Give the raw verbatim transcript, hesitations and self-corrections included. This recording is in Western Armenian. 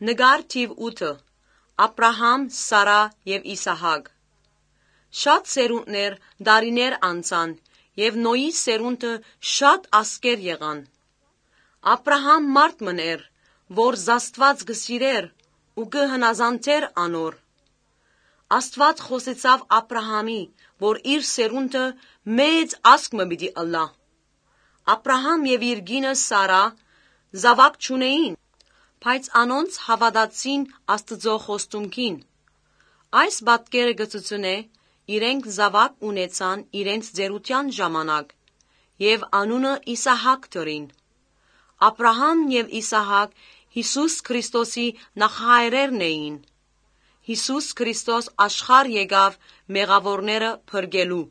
Նկար թիւ ութը։ Աբրահամ, Սարա եւ Իսահակ։ Շատ սերունդներ, տարիներ անցան, եւ Նոյի սերունդը շատ ազգեր եղան։ Աբրահամ մարդ մըն էր, որ Աստուած կը սիրէր ու կը հնազանդէր անոր։ Աստուած խօսեցաւ Աբրահամի, որ իր սերունդը մեծ ազգ մը պիտի ըլլայ։ Աբրահամ եւ իր կինը Սարա զաւակ չունէին, բայց անոնց հաւատացին Աստուծոյ խոստումքին։ Այս պատկերը կը ցուցնէ իրենք զաւակ ունեցան իրենց ծերութեան ժամանակ եւ անունը Իսահակ դրին։ Աբրահամ եւ Իսահակ Յիսուս Քրիստոսի նախահայրերն էին։ Յիսուս Քրիստոս աշխարհ եկաւ մեղաւորները փրկելու։